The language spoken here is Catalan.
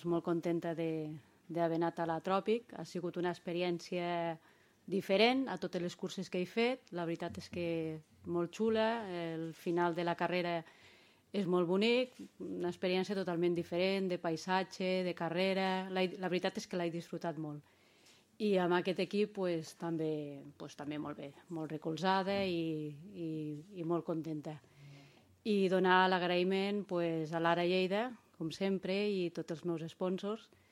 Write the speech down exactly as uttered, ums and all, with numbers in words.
Molt contenta d'haver anat a la Tròpic. Ha sigut una experiència diferent a totes les curses que he fet. La veritat és que molt xula. El final de la carrera és molt bonic, una experiència totalment diferent, de paisatge, de carrera. La, la veritat és que l'he disfrutat molt. I amb aquest equip pues, també, pues, també molt bé, molt recolzada i, i, i molt contenta. I donar l'agraïment pues, a l'Ara Lleida, com sempre, i tots els meus sponsors,